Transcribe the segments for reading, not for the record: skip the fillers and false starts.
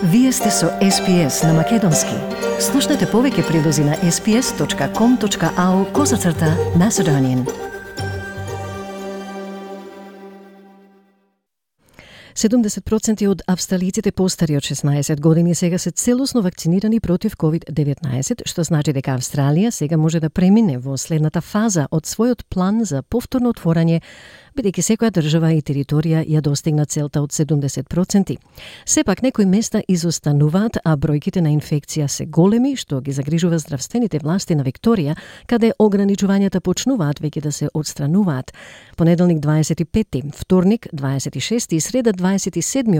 Вие сте со SPS на Македонски. Слушнете повеќе прилози на sps.com.au/Macedonian. 70% од австралиците постари од 16 години сега се целосно вакцинирани против COVID-19, што значи дека Австралија сега може да премине во следната фаза од својот план за повторно отворање, бидејќи секоја држава и територија ја достигна целта од 70%. Сепак некои места изостануваат, а бројките на инфекција се големи, што ги загрижува здравствените власти на Викторија, каде ограничувањата почнуваат веќе да се отстрануваат. Понеделник 25, вторник 26 и среда 27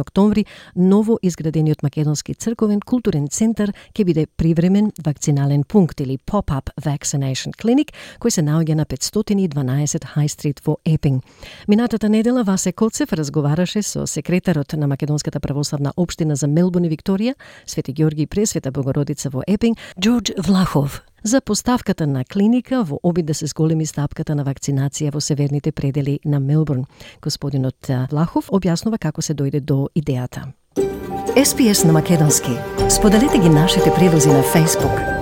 октомври ново изградениот македонски црковен културен центар ќе биде привремен вакцинален пункт или pop-up vaccination clinic кој се наоѓа на 512 High Street во Епинг. Минатата недела Васе Коцев разговараше со секретарот на Македонската православна општина за Мелбурн и Викторија, Свети Ѓорги и Пресвета Богородица во Епинг, Џорџ Влахов, за поставката на клиника во обид да се зголеми стапката на вакцинација во северните предели на Мелбурн. Господинот Влахов објаснува како се дојде до идејата. SPS на Македонски. Споделете ги нашите прилози на Facebook.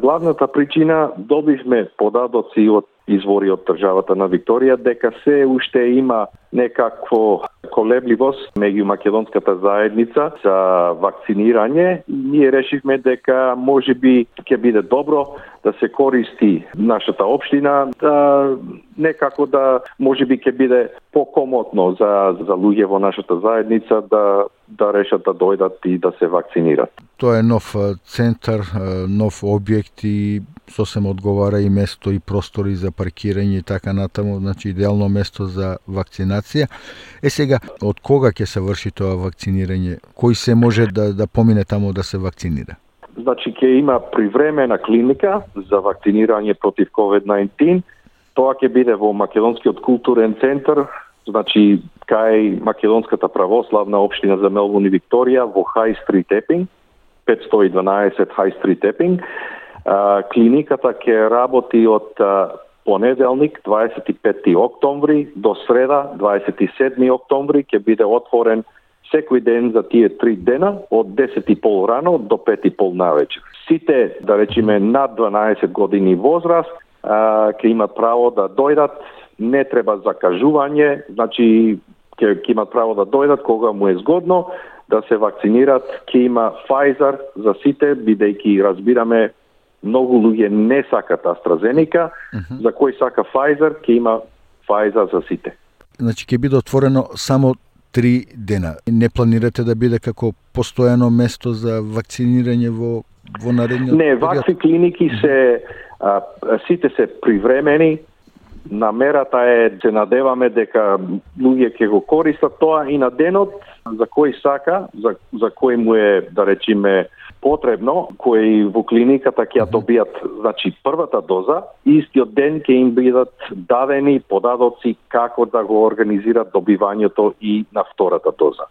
Главната причина, добивме податоци од извори од државата на Викторија дека се уште има некакво колебливост меѓу македонската заедница за вакцинирање. Ние решивме дека можеби ќе биде добро да се користи нашата општина, да некако да можеби ќе биде покомотно за луѓе во нашата заедница да решат да дојдат и да се вакцинират. Тоа е нов центар, нов објект и сосем одговара и место и простори за паркирање и така натаму, значи идеално место за вакцинација. Сега, од кога ќе се врши тоа вакцинирање? Кој се може да помине таму да се вакцинира? Значи ќе има привремена клиника за вакцинирање против COVID-19. Тоа ќе биде во Македонскиот културен центар, значи кај Македонската православна општина за Мелбурн и Викторија во High Street Епинг, 512 High Street Епинг. Клиниката ќе работи од понеделник 25 октомври до среда 27 октомври, ќе биде отворен секој ден за тие 3 дена од 10:30 рано до 5:30 навечер. Сите, да речеме, над 12 години возраст ќе имат право да дојдат, не треба закажување, значи ќе имат право да дојдат кога му е згодно да се вакцинират. Ќе има Pfizer за сите, бидејќи разбираме многу луѓе не сакат AstraZeneca, за кој сака Pfizer, ќе има Pfizer за сите. Значи ќе биде отворено само 3 дена. Не планирате да биде како постојано место за вакцинирање во наредниот период? Не, вакви клиники сите се привремени. Намерата е, се надеваме дека луѓе ќе го користат тоа и на денот за кој сака, за кој му е, да речеме, потребно, кои во клиниката ќе ја добијат, значи првата доза, истиот ден ќе им бидат дадени податоци како да го организират добивањето и на втората доза.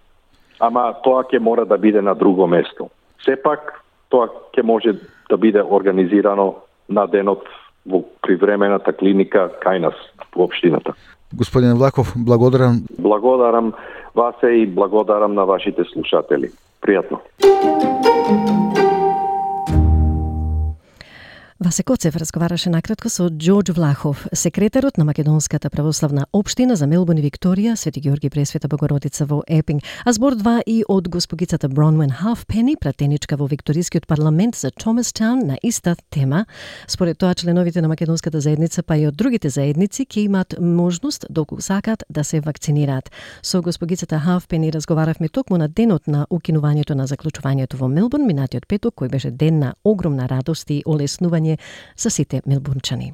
Ама тоа ќе мора да биде на друго место. Сепак тоа ќе може да биде организирано на денот во привремената клиника кај нас во општината. Господин Влахов, благодарам. Благодарам Васе и благодарам на вашите слушатели. Пријатно. Васе Коцев разговараше накратко со Џорџ Влахов, секретарот на Македонската православна општина за Мелбурн и Викторија, Свети Ѓорги и Пресвета Богородица во Епинг. А збор 2 и од госпогицата Бронвен Халфпени, пратеничка во Викторискиот парламент за Томастаун на иста тема. Според тоа, членовите на македонската заедница, па и од другите заедници, ќе имат можност, доколку сакат, да се вакцинираат. Со госпогицата Халфпени разговаравме токму на денот на укинувањето на заклучувањето во Мелбурн, минатиот петок, кој беше ден на огромна радост и олеснување за сите мелбурнчани.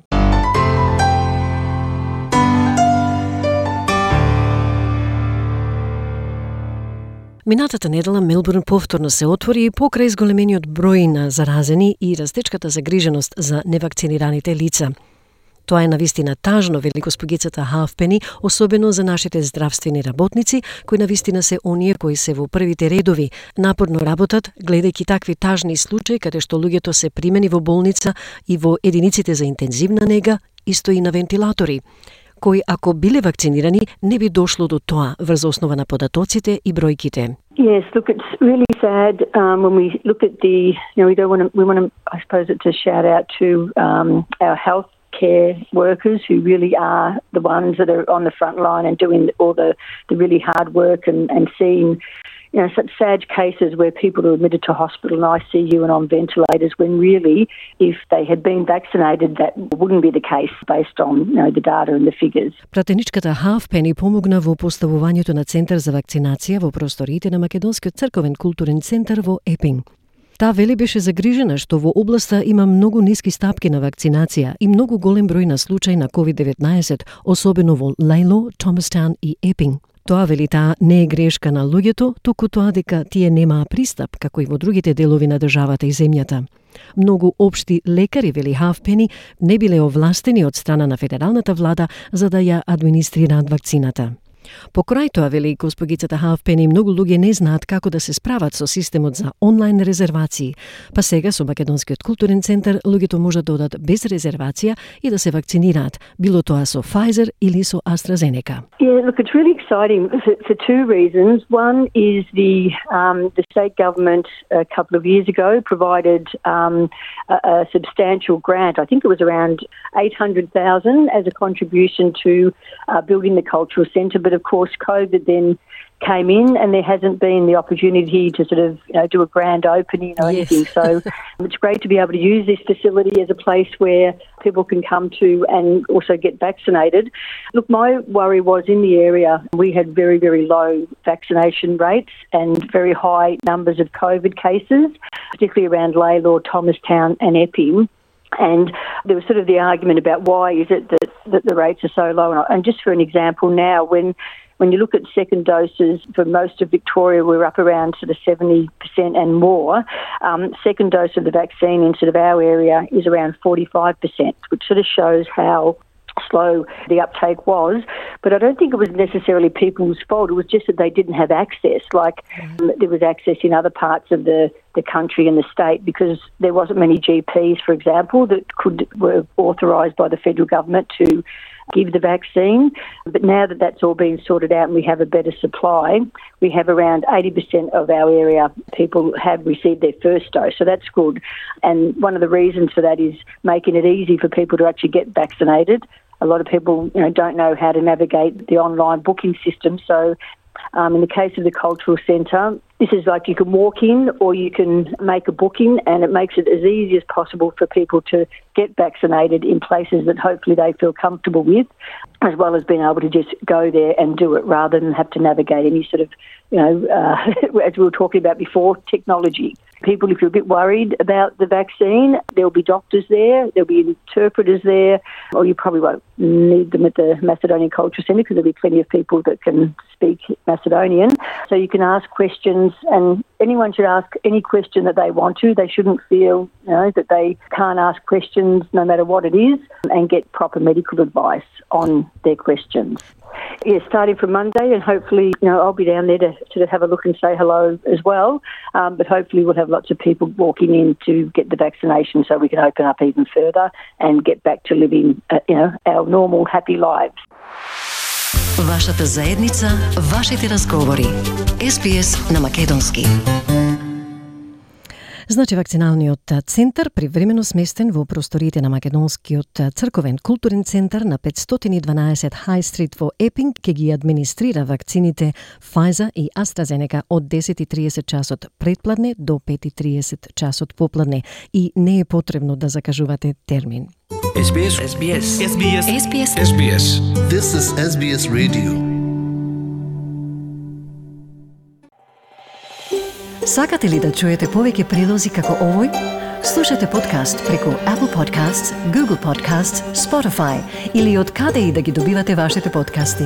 Минатата недела Мелбурн повторно се отвори и покрај зголемениот број на заразени и растечката загриженост за невакцинираните лица. Тоа е навистина тажно, вели госпогицата Халфпени, особено за нашите здравствени работници, кои навистина се оние кои се во првите редови, напорно работат, гледајќи такви тажни случаи каде што луѓето се примени во болница и во единиците за интензивна нега, исто и на вентилатори. кои ако биле вакцинирани не би дошло до тоа врз основа на податоците и бројките. Yes, look, it's really sad when we look at the, we want to, I suppose it's a shout out to our health care workers who really are the ones that are on the front line and doing all the really hard work and seeing such sad cases where people are admitted to hospital and ICU and on ventilators when really, if they had been vaccinated, that wouldn't be the case based on the data and the figures. Пратеничката Halfpenny помогна во поставувањето на центар за вакцинација во просториите на Македонскиот црковен културен центар во Епинг. Таа вели беше загрижена што во областа има многу ниски стапки на вакцинација и многу голем број на случаи на COVID-19, особено во Лейло, Томастаун и Епинг. Тоа вели таа не е грешка на луѓето, туку тоа дека тие немаа пристап, како и во другите делови на државата и земјата. Многу општи лекари, вели Halfpenny, не биле овластени од страна на федералната влада за да ја администрираат вакцината. Покрај тоа, вели госпогицата Halfpenny, многу луѓе не знаат како да се справат со системот за онлайн резервации, па сега со Македонскиот културен центар луѓето можат да одат без резервација и да се вакцинираат, било тоа со Pfizer или со AstraZeneca. Yeah, look, it's really exciting for two reasons. One is the state government a couple of years ago provided a substantial grant. I think it was around $800,000 as a contribution to building the cultural centre, but of course COVID then came in and there hasn't been the opportunity to sort of do a grand opening or anything. So it's great to be able to use this facility as a place where people can come to and also get vaccinated. Look, my worry was in the area we had very, very low vaccination rates and very high numbers of COVID cases, particularly around Laylaw, Thomastown and Epping. And there was sort of the argument about why is it that the rates are so low. And just for an example now, when you look at second doses for most of Victoria, we're up around sort of 70% and more. Second dose of the vaccine in sort of our area is around 45%, which sort of shows how slow the uptake was. But I don't think it was necessarily people's fault. It was just that they didn't have access. Like there was access in other parts of the country and the state because there wasn't many GPs, for example, that were authorised by the federal government to give the vaccine. But now that that's all been sorted out and we have a better supply, we have around 80% of our area people have received their first dose. So that's good. And one of the reasons for that is making it easy for people to actually get vaccinated. A lot of people, don't know how to navigate the online booking system. So in the case of the cultural centre, this is like you can walk in or you can make a booking, and it makes it as easy as possible for people to get vaccinated in places that hopefully they feel comfortable with, as well as being able to just go there and do it rather than have to navigate any sort of, as we were talking about before, technology. People, if you're a bit worried about the vaccine, there'll be doctors there, there'll be interpreters there, or you probably won't need them at the Macedonian Cultural Centre because there'll be plenty of people that can speak Macedonian. So you can ask questions, and anyone should ask any question that they want to. They shouldn't feel, that they can't ask questions no matter what it is, and get proper medical advice on their questions. Yeah, starting from Monday, and hopefully, I'll be down there to sort of have a look and say hello as well. But hopefully we'll have lots of people walking in to get the vaccination so we can open up even further and get back to living, our normal, happy lives. Вашата заедница, вашите разговори. SBS на македонски. Значи, вакциналниот центар привремено сместен во просториите на Македонскиот црковен културен центар на 512 High Street во Епинг ќе ги администрира вакцините Pfizer и AstraZeneca од 10:30 часот предпладне до 5:30 часот попладне и не е потребно да закажувате термин. SBS. SBS. SBS. SBS. SBS. This is SBS Radio. Сакате ли да чуете повеќе прилози како овој? Слушате подкаст преку Apple Podcasts, Google Podcasts, Spotify или од каде и да ги добивате вашите подкасти.